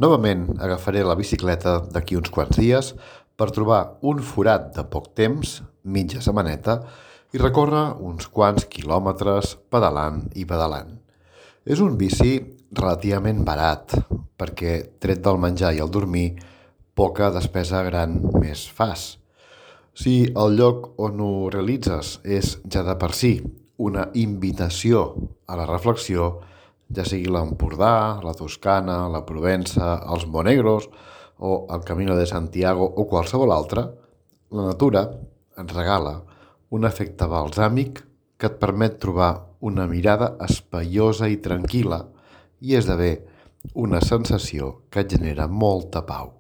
Novament agafaré la bicicleta d'aquí uns quants dies per trobar un forat de poc temps, mitja setmaneta, i recórrer uns quants quilòmetres pedalant i pedalant. És un bici relativament barat, perquè tret del menjar i el dormir, poca despesa gran més fas. Si el lloc on ho realitzes és ja de per si una invitació a la reflexió, ja sigui l'Empordà, la Toscana, la Provença, els Monegros o el Camino de Santiago o qualsevol altre, la natura ens regala un efecte balsàmic que et permet trobar una mirada espaiosa i tranquil·la i esdevé una sensació que et genera molta pau.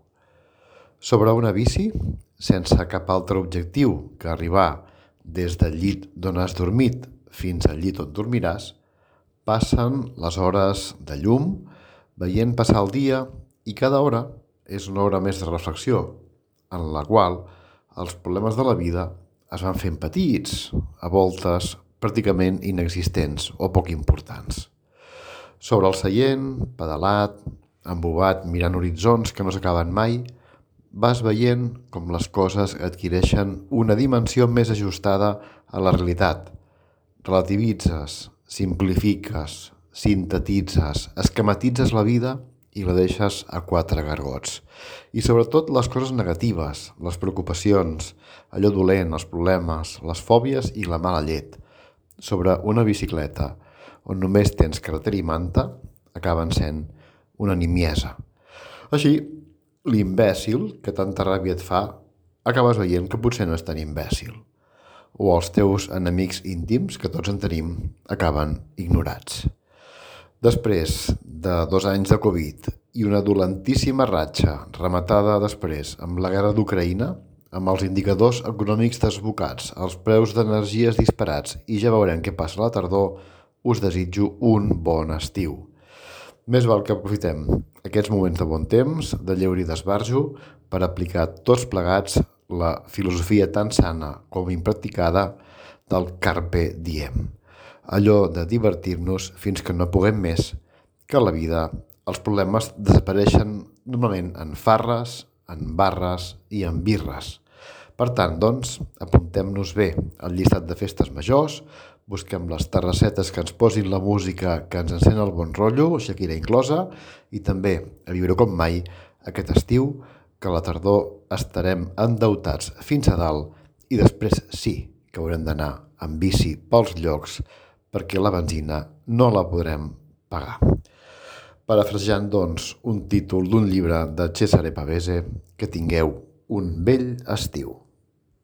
Sobre una bici, sense cap altre objectiu que arribar des del llit d'on has dormit fins al llit on dormiràs, passen les hores de llum, veient passar el dia, i cada hora és una hora més de reflexió, en la qual els problemes de la vida es van fent petits, a voltes pràcticament inexistents o poc importants. Sobre el seient, pedalat, embobat, mirant horitzons que no s'acaben mai, vas veient com les coses adquireixen una dimensió més ajustada a la realitat. Relativitzes, simplifiques, sintetitzes, esquematitzes la vida i la deixes a quatre gargots. I sobretot les coses negatives, les preocupacions, allò dolent, els problemes, les fòbies i la mala llet. Sobre una bicicleta, on només tens carretera i manta, acaben sent una nimiesa. Així, l'imbècil que tanta ràbia et fa, acabes veient que potser no és tan imbècil. O els teus enemics íntims, que tots en tenim, acaben ignorats. Després de 2 anys de Covid i una dolentíssima ratxa rematada després amb la guerra d'Ucraïna, amb els indicadors econòmics desbocats, els preus d'energies disparats i ja veurem què passa a la tardor, us desitjo un bon estiu. Més val que aprofitem aquests moments de bon temps, de lleure i d'esbarjo, per aplicar tots plegats la filosofia tan sana com impracticada del Carpe Diem. Allò de divertir-nos fins que no puguem més, que a la vida els problemes desapareixen normalment en farres, en barres i en birres. Per tant, doncs, apuntem-nos bé al llistat de festes majors, busquem les terrassetes que ens posin la música que ens encén el bon rotllo, Shakira inclosa, i també a viure com mai aquest estiu, que a la tardor estarem endeutats fins a dalt i després sí que haurem d'anar amb bici pels llocs perquè la benzina no la podrem pagar. Parafrasejant, doncs, un títol d'un llibre de Cesare Pavese, que tingueu un bell estiu.